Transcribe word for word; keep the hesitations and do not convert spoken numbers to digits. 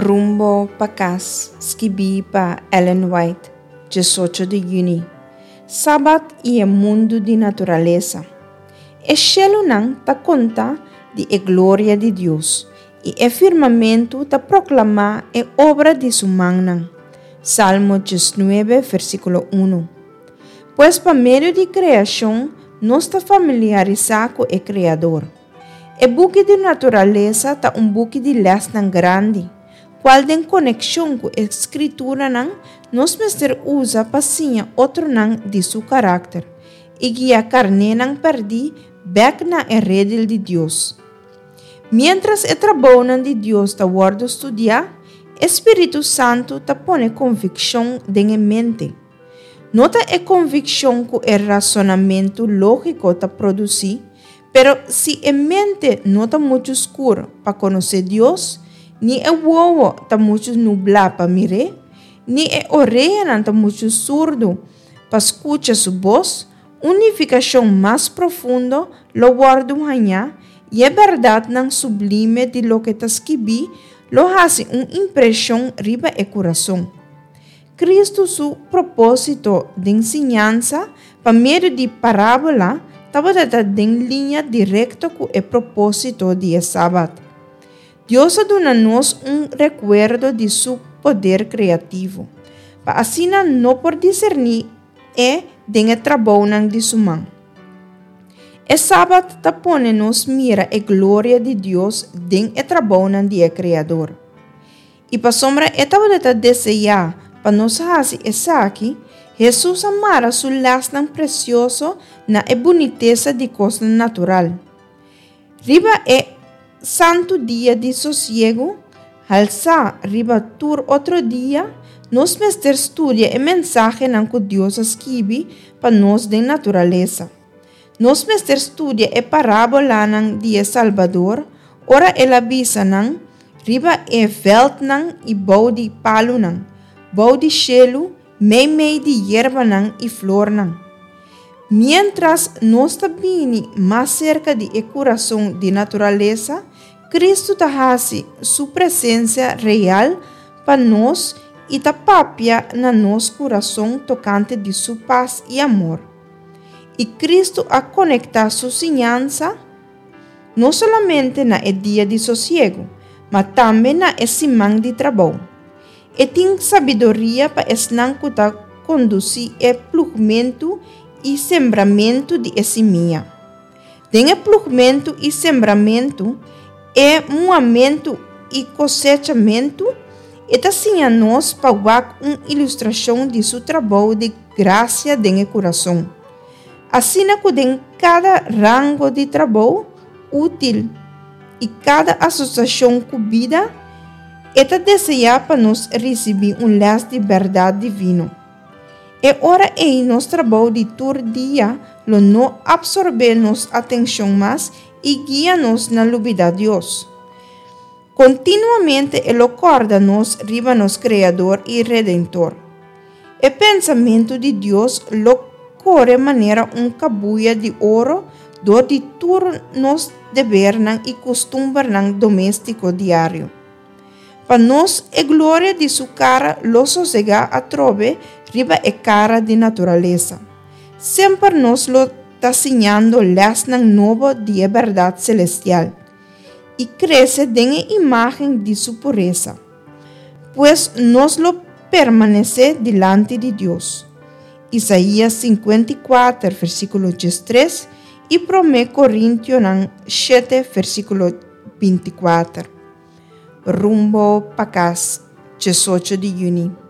Rumbo pa Kas, skibí pa Ellen White, diesocho di yüni. Sabat i e mundu di naturalesa. E shelunan ta konta di e gloria di Dios, i e firmamentu ta proklamá e obra di su mannan. Salmo diesnuebe, versíkulo un. Pues pa medio di kreashon nos ta familiarisá ku e Kreador. E buki di naturalesa ta un buki di lèsnan grandi, kual den konekshon ku e Skrituranan nos mester usa pa siña otronan di su karakter i guia karnénan pèrdí bèk na e redil di Dios. Miéntras e trabounan di Dios ta wòrdu studiá, e Spiritu Santu ta pone konvikshon den e mente. No ta e konvikshon ku e rasonamentu lógiko ta produsí, pero si e mente no ta muchu skur pa konosé Dios, ni e wowo ta muchu nublá pa mir'é, ni e oreanan ta muchu surdu pa skucha su bos, un nifikashon mas profundo lo wòrdu hañá i e bèrdatnan sublime di loke ta skibí lo hasi un impreshon riba e kurason. Kristu su propósito den siñansa pa medio di parábola tabata den liña direkto ku e propósito di e sabat. Dios a duna nos un rekuerdo di su poder kreativo, pa asina nos por diserní e den e trabounan di su man. E sabat ta pone nos mira e gloria di Dios den e trabounan di e Kreador. I pasobra e tabata deseá pa nos hasi esaki, Hesus a mara su lèsnan presioso na e bunitesa di kosnan natural. Riba e santu dia di sosiegu, halsá riba tur otro dia, nos mester studia e mensahenan ku Dios a skibi pa nos den naturalesa. Nos mester studia e parábolanan di e Salbador, ora el a bisa nan, riba e veldnan i bou di palunan, bou di shelu, meimei di yerbanan i flornan. Miéntras nos ta bini mas serka di e kurason di naturalesa, Kristu ta hasi su presensia real pa nos i ta papia na nos kurason tokante di su pas i amor. I Kristu a konektá su siñansa no solamente na e dia di sosiegu, ma tambe na e siman di trabou. E tin sabiduria pa esnan ku ta kondusí e plugmentu i sembramentu di e simia. Den e plugmentu i sembramentu, e muhamentu i kosechamentu, e ta siña nos pa wak un ilustrashon di su trabou di grasia den e kurason. Asina ku den kada rango di trabou útil i kada asosiashon ku bida, e ta deseá pa nos risibí un lès di bèrdat divino. E ora ei nos trabou di tur dia lo no apsorbé nos atenshon mas i guia nos na lubidá Dios. Kontinuamente e lo kòrda nos riba nos Kreador i Redentor. E pensamentu di Dios lo kore manera un kabuya di oro dor di tur nos debernan i kustumbernan doméstiko diario. Pa nos e gloria di su kara lo sosegá atrobe riba e kara di naturalesa. Semper nos lo ta siñando lèsnan nobo di e bèrdat selestial i krese den e imágen di su puresa. Pues nos lo permanesé dilanti di Dios. Isaías sinkuenta i kuater, versíkulo diestres i Promé Korintionan shete, versíkulo binti kuater. Rumbo pa Kas, diesocho di yüni.